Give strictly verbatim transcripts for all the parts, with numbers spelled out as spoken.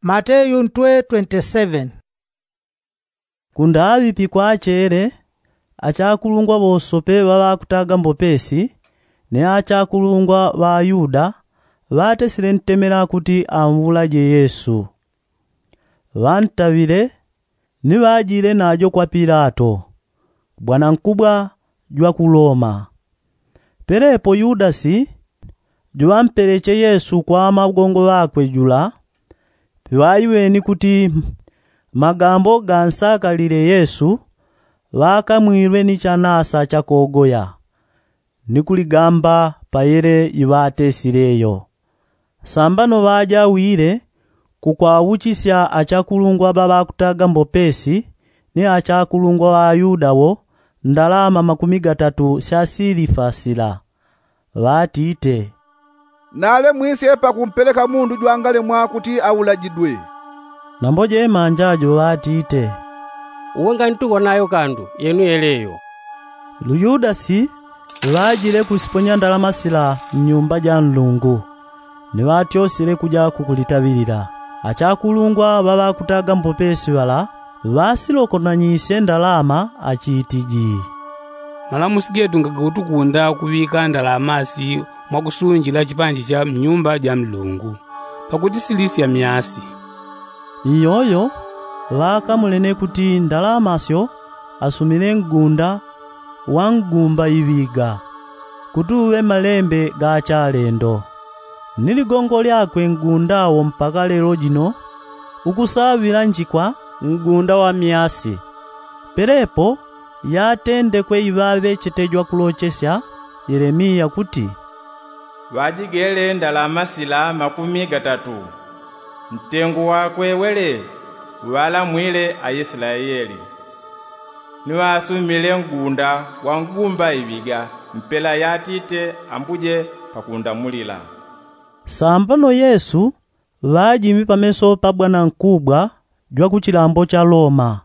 Mateyu ntwe twenti seveni. Kundaŵi pikwachele, achakulungwa ŵosope ŵaŵakutaga mbopesi ni achakulungwa ŵa ayuda ŵatesile ntemela kuti amulaje yesu. Ŵantaŵile ni ŵajile najo kwa pilato, bwanankubwa jwa ku loma. Pelepo yudasi juŵampeleche yesu kwa magongo ŵakwe jula. Piŵaiweni kuti magambo gansakalile yesu, ŵakamwilwe ni chanasa chakogoya ni kuligamba payele iŵatesileyo. Sambano ŵajawile kukwauchisya achakulungwa ŵaŵakutaga mbopesi ni achakulungwa ŵa ayuda wo ndalama makumi gatatu sya silifa sila. Ŵatite, nale mwisye pakumpeleka mundu jwangalemwa kuti aulajidwe. Nambo jemanja jo ŵatite, uwe ngantukonayo kandu yenu yeleyo. Luyudasi ŵajile kusiponya ndalama sila mnyumba ja nlungu, ni ŵatyosile kuja kukulitaŵilila. Achakulungwa ŵaŵakutaga mbopesi ŵala ŵasilokonanyisye ndalama achitiji, malamusi getu ngagakutukunda kuŵika ndalama si mwakusunjila chipanji cha mnyumba ja mlungu, pakuti silisya myasi. Iyoyo ŵakamulene kuti ndalama syo asumile ngunda wa ngumba iŵiga kuti uŵe malembe ga chalendo. Ni ligongo lyakwe ngunda wo mpaka lelo jino ukusaŵila njikwa ngunda wa myasi. Pelepo yatendekwe iŵaŵechete jwakulochesya yelemiya kuti, ŵajigele ndalama sila makumi gatatu, ntengu wakwe wele ŵalamwile aislaeli, ni ŵasumile ngunda wa ngumba iŵiga mpela yatite ambuje pakundamulila. Sambano yesu ŵajimi pameso pa bwanankubwa jwa kuchilambo cha loma.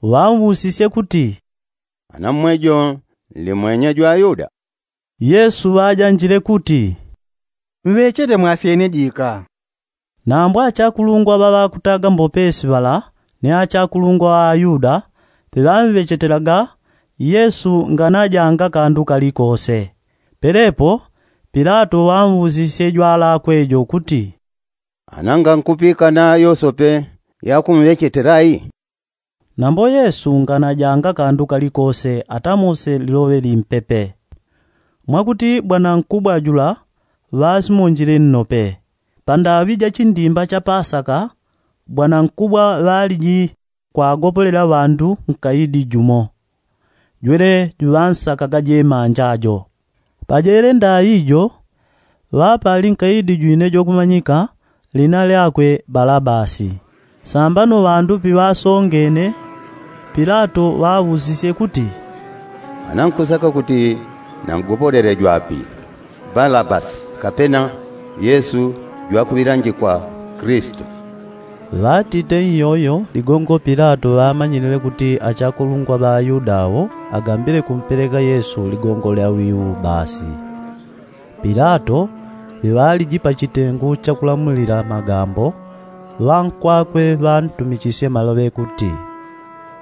Ŵausisye kuti, ana mmwejo nli mwenye jwa ayuda? Yesu ŵajanjile kuti, mŵechete mwasyene jika. Nambo achakulungwa ŵaŵakutaga mbopesi ŵala ni achakulungwa ŵa ayuda piŵamŵechetelaga yesu nganajanga kandu kalikose. Pelepo pilato ŵausisye jwalakwe jo kuti, ana ngankupikana yosope yakumŵechetela i? Nambo yesu nganajanga kandu kalikose atamose liloŵe limpepe. Mwakuti bwanankubwa jula ŵasimonjile nnope. Pandaŵi ja chindimba cha pasaka bwanankubwa ŵaliji kwagopolela ŵandu nkaidi jumo, jwele juŵansakaga jemanja jo. Pajele ndaŵi jo ŵapali nkaidi jwine jwakumanyika lina lyakwe balabasi. Sambano ŵandu piŵasongene pilato ŵaŵusisye kuti, ana nkusaka kuti nangopolele jwapi, balabasi kapena yesu jwakuŵilanjikwa kristu? Ŵatite iyoyo ligongo pilato ŵamanyilile kuti achakulungwa ŵa ayuda awo agambile kumpeleka yesu ligongo lya wiu basi. Pilato piŵaliji pa chitengu chakulamulila magambo ŵankwakwe ŵantumichisye maloŵe kuti,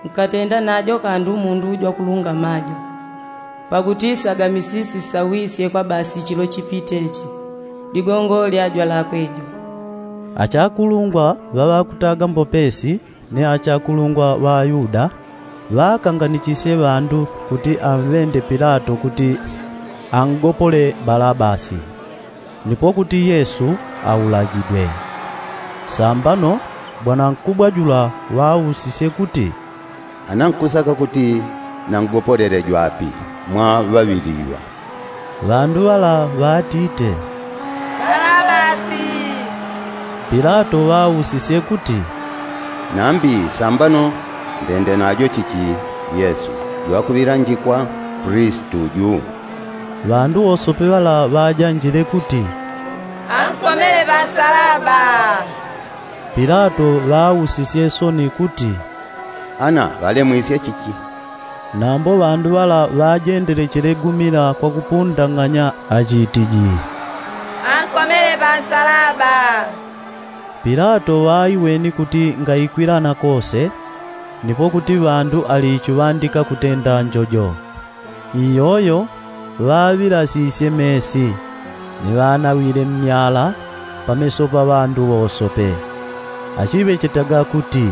nkatenda najo kandu mundu jwakulungama jo, pakuti sagamisisi sawisye kwa basi chilo chipite chi ligongo lya jwalakwe jo. Achakulungwa ŵaŵakutaga mbopesi ni achakulungwa ŵa ayuda ŵakanganichisye ŵandu kuti amŵende pilato kuti angopole balabasi, nipo kuti yesu aulagidwe. Sambano bwanankubwa jula ŵausisye kuti, ana nkusaka kuti nangopolele jwapi mwa ŵaŵili iŵa? Ŵandu ŵala ŵatite, balabasi. Pilato ŵausisye kuti, nambi sambano ndende najo chichi yesu jwakuŵilanjikwa kristu ju? Ŵandu wosope ŵala ŵajanjile kuti, ankomele pansalaba. Pilato ŵausisye soni kuti, ana ŵalemwisye chichi? Nambo ŵandu ŵala ŵajendele chelegumila kwakupundang'anya achitiji, ankomele pansalaba. Pilato ŵaiweni kuti ngaikwilana kose, nipo kuti ŵandu alichiŵandika kutenda njojo. Iyoyo ŵaŵilasisye mesi, ni ŵanaŵile mmyala pameso pa ŵandu wosope, achiŵechetaga kuti,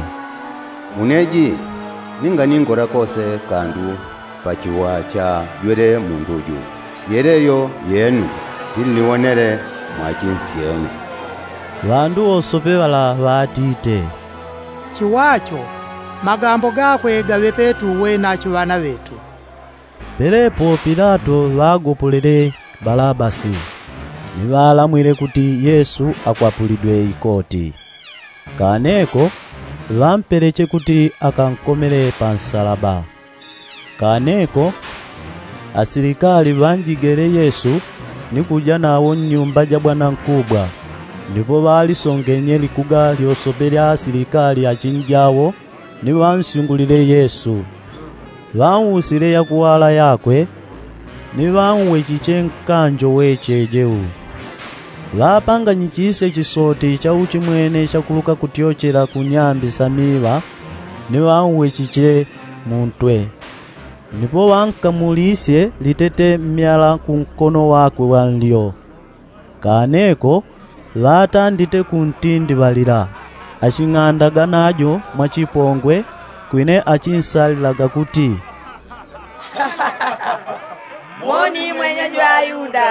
Une ji ninga ningora kose kandu pa chiwa chajwele mundu ju. Yeleyo yenu, ili niwonele mwachinsyene. Ŵandu wosope ŵala ŵatite, Chiwacho, magambo gakwe gaŵe petu uwe na achiŵana ŵetu. Pelepo pilato ŵagopolele balabasi, ni ŵalamwile kuti yesu akwapulidwe ikoti. Kaneko ŵampeleche kuti akankomele pa nsalaba. Kaneko asilikali ŵanjigele yesu ni kuja nawo nnyumba ja bwanankubwa. Nipo ŵalisongenye likuga lyosope lya asilikali achinjawo ni ŵansyungulile yesu. Ŵausile yakuwala yakwe, ni ŵauwechiche nkanjo wecheje u. Ŵapanganyichisye chisoti cha uchimwene chakuluka kutyochela ku nyambi sa miŵa, ni ŵauwechiche muntwe. Nipo ŵankamulisye litete mmyala ku nkono wakwe wa nlyo. Kaneko ŵatandite kuntindiŵalila, aching'andaga najo mwachipongwe, kwine achinsalilaga kuti, Moni mwenye jwa ayuda.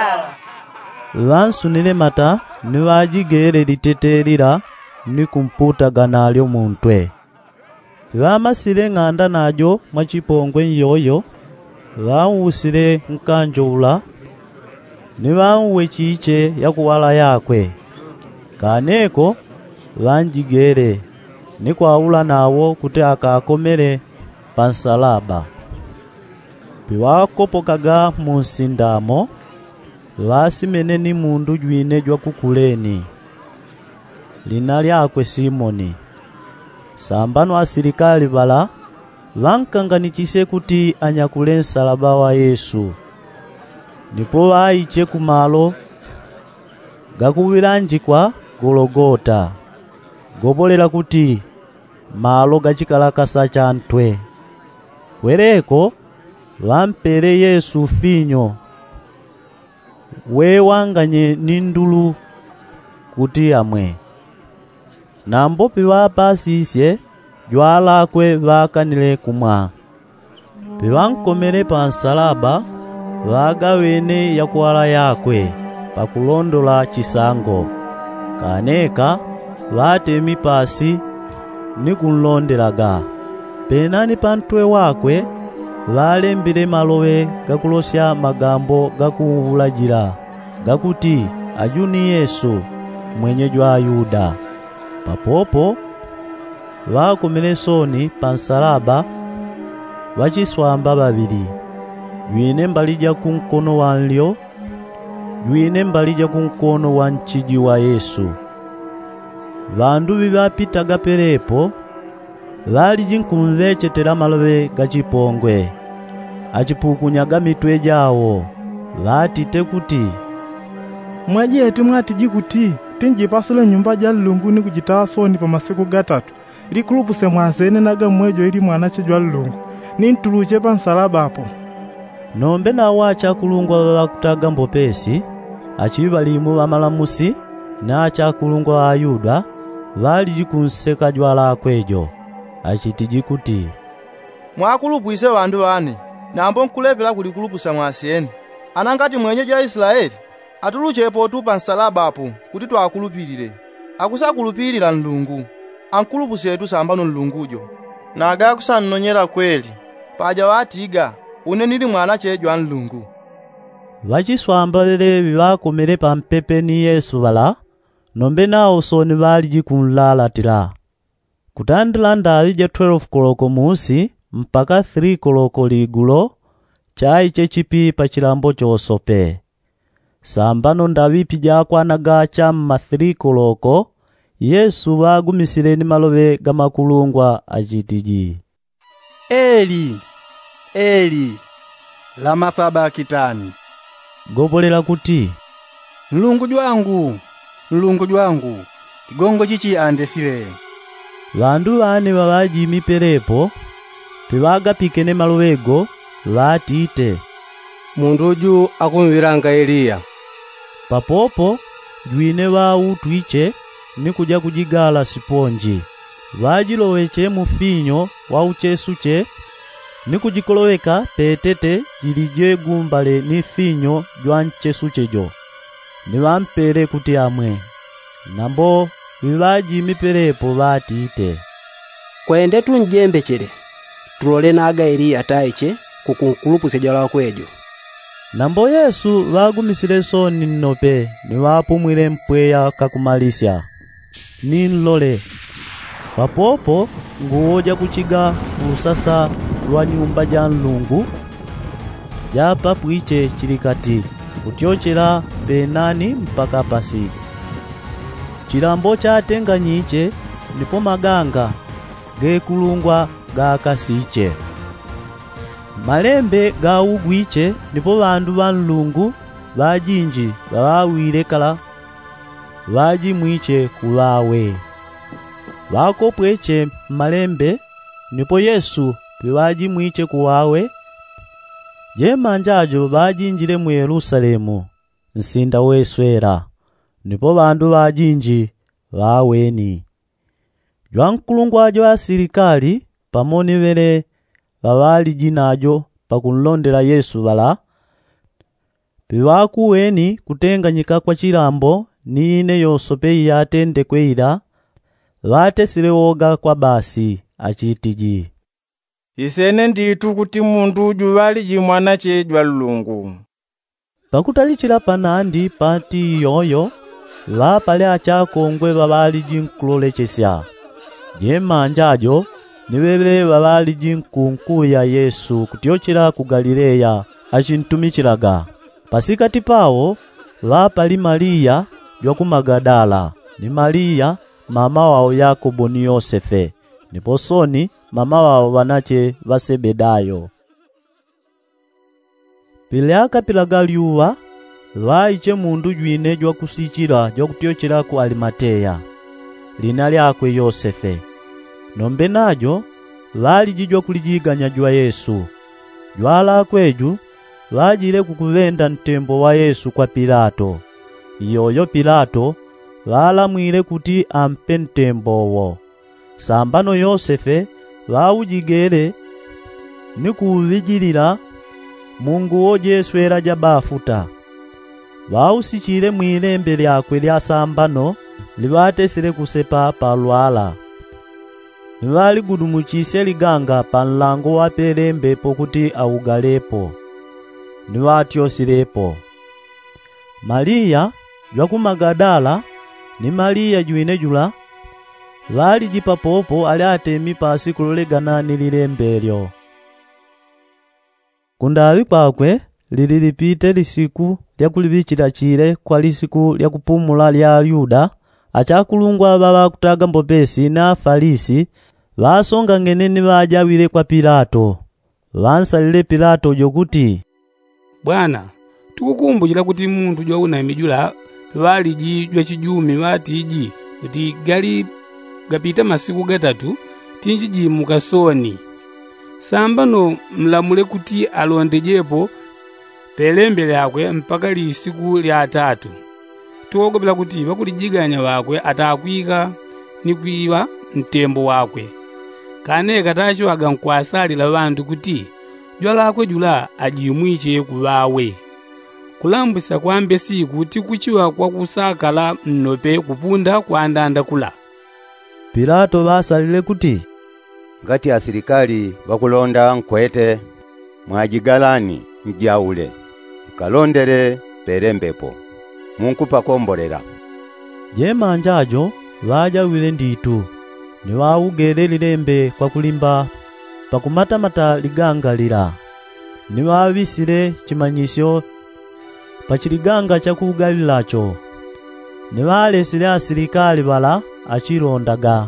Ŵansunile mata ni ŵajigele litete lila ni kumputaga nalyo muntwe. Piŵamasile ng'anda najo mwachipongwe nyoyo, ŵausile nkanjo ula ni ŵauwechiche yakuwala yakwe. Kaneko ŵanjigele ni kwaula nawo kuti akakomele pa nsalaba. Piŵakopokaga mu nsinda mo, ŵasimene ni mundu jwine jwa ku kuleni, lina lyakwe simoni. Sambano asilikali ŵala ŵankanganichisye kuti anyakule nsalaba wa yesu. Nipo ŵaiche ku malo gakuŵilanjikwa gologota, gopolela kuti malo ga chikalakasa cha ntwe. Kweleko ŵampele yesu finyo, wewanganye ni ndulu kuti amwe. Nambo piŵapasisye jwalakwe ŵakanile kumwa. Piŵankomele pa nsalaba ŵagaŵene yakuwala yakwe pakulondola chisango. Kaneka ŵatemi pasi ni kunlondelaga. Penani pa ntwe wakwe ŵalembile maloŵe gakulosya magambo gakuulajila gakuti, aju ni yesu, mwenye jwa ayuda. Papopo ŵakomele soni pa nsalaba ŵachiswamba ŵaŵili, jwine mbali ja ku nkono wa nlyo, jwine mbali ja ku nkono wa nchiji wa yesu. Ŵandu ŵiŵapitaga pelepo ŵaliji nkumŵechetela maloŵe ga chipongwe, achipukunyaga mitwe jawo, ŵatite kuti, mwaji eti mwatiji kuti tinjipasule nyumba ja nlungu ni kujitaŵa soni pa masiku gatatu? Likulupuse mwansene naga mmwejo ili mwanache jwa nlungu, ni ntuluche pa nsalaba apo. Nombe nawo achakulungwa ŵaŵakutaga mbopesi, achiŵalimu ŵamalamusi na achakulungwa ŵa ayuda ŵaliji kunseka jwalakwe jo, achitiji kuti, mwakulupwise ŵandu ŵane, nambo nkulepela kulikulupusa mwasyene. Ana ngati mwenye jwa isilaeli, atuluchepotu pa nsalaba apo kuti twakulupilile. Akusakulupilila nlungu, ankulupusetu sambano nlungu jo. Naga akusannonyela kweli, paja ŵatiga, une nili mwanache jwa nlungu. Ŵachiswamba ŵeleŵi ŵakomele pampepe ni yesu ŵala, nombe nawo soni ŵaliji kunlalatila. Kutandila ndaŵi ja twelefu koloko musi mpaka three koloko ligulo, chaiche chipi pa chilambo chosope. Sambano ndaŵi pijakwanaga cha mma three koloko, yesu ŵagumisile ni maloŵe ga makulungwa achitiji, eli, eli, lama sabakitani? Gopolela kuti, nlungu jwangu, nlungu jwangu, Chigongo chichi andesile. Ŵandu ŵane ŵaŵajimi pelepo piŵagapikene maloŵe go, ŵatite, mundu uju akumwilanga eliya. Papopo jwine ŵautwiche ni kuja kujigala siponji, ŵajiloŵeche mufinyo wa uchesuche, ni kujikoloŵeka petete jilije gumbale ni finyo jwa nchesuche jo, ni ŵampele kuti amwe. Nambo ŵiŵajimi pelepo ŵatite, kwende tunjembechele, tulole naga eliya taiche kukunkulupusya jwalakwe jo. Nambo yesu ŵagumisile soni nnope, ni ŵapumwile mpweya kakumalisya. Ni nlole, papopo nguwo jakuchiga lusasa lwa nyumba ja nlungu japapwiche chilikati, kutyochela penani mpaka pasi. Chilambo chatenganyiche, nipo maganga gekulungwa gakasiche. Malembe gaugwiche, nipo ŵandu ŵa nlungu ŵajinji ŵaŵawile kala ŵajimwiche kuŵawe. Ŵakopweche mmalembe, nipo yesu piŵajimwiche kuŵawe. Jemanja jo ŵajinjile mu yelusalemu, nsinda weswela, nipo ŵandu ŵajinji ŵaweni. Jwankulungwa jwa asilikali pamo ni ŵele ŵaŵaliji najo pakunlondela yesu ŵala, piŵakuweni kutenganyika kwa chilambo ni ine yosope iyatendekwe ila, ŵatesile woga kwa basi, achitiji, isene nditu kuti mundu juŵaliji mwanache jwa nlungu. Pakutalichila panandi pati iyoyo, ŵapale achakongwe ŵaŵaliji nkulolechesya. Jemanja jo ni ŵele ŵaŵaliji nkunkuŵi ya yesu kutyochela ku galileya achintumichilaga. Pasikati pawo ŵapali maliya jwa ku magadala, ni maliya mama wawo yakobo ni yosefe, nipo soni mama wawo ŵanache ŵa sebedayo. Pilyaka pilaga lyuŵa, ŵaiche mundu jwine jwakusichila jwakutyochela ku alimateya, lina lyakwe yosefe. Nombe najo ŵaliji jwakulijiganya jwa yesu. Jwalakwe ju ŵajile kukuŵenda ntembo wa yesu kwa pilato. Iyoyo pilato ŵalamwile kuti ampe ntembo wo. Sambano yosefe ŵaujigele ni kuuŵijilila mu nguwo jeswela ja bafuta. Ŵausichile mwilembe lyakwe lya sambano liŵatesile kusepa pa lwala. Ni ŵaligudumuchisye liganga pa nlango wa pelembe pokuti augalepo. Ni ŵatyosilepo. Maliya jwa ku magadala ni maliya jwine jula ŵaliji papopo ali atemi pasi kulolegana ni lilembe lyo. Kundaŵi kwakwe lili lipite lisiku lya kuliŵichila chile kwa lisiku lya kupumula lya ayuda, achakulungwa ŵa ŵakutaga mbopesi ni afalisi ŵasongang'ene ni ŵajawile kwa pilato. Ŵansalile pilato jo kuti, bwana, tukukumbuchila kuti mundu jwaunami jula ŵaliji jwachijumi ŵatiji kuti gali gapita masiku gatatu tinjijimuka soni. Sambano mlamule kuti alondejepo pelembe lyakwe mpaka lisiku lya atatu. Tuwogopela kuti ŵakulijiganya ŵakwe atakwika ni kwiŵa ntembo wakwe. Kane katachiŵaga nkwasalila ŵandu kuti jwalakwe jula ajimwiche kuŵawe. Kulambusya kwa mbesiku tikuchiŵa kwakusakala nnope kupunda kwandanda kula. Pilato ŵasalile kuti, ngati asilikali ŵakulonda nkwete, mwajigalani njaule, nkalondele pelembepo munkupakombolela. Jemanja jo ŵajawile nditu, ni ŵaugele lilembe kwakulimba pakumatamata liganga lila, ni ŵaŵisile chimanyisyo pa chiliganga cha ku galila cho. Ni ŵalesile asilikali ŵala achilondaga.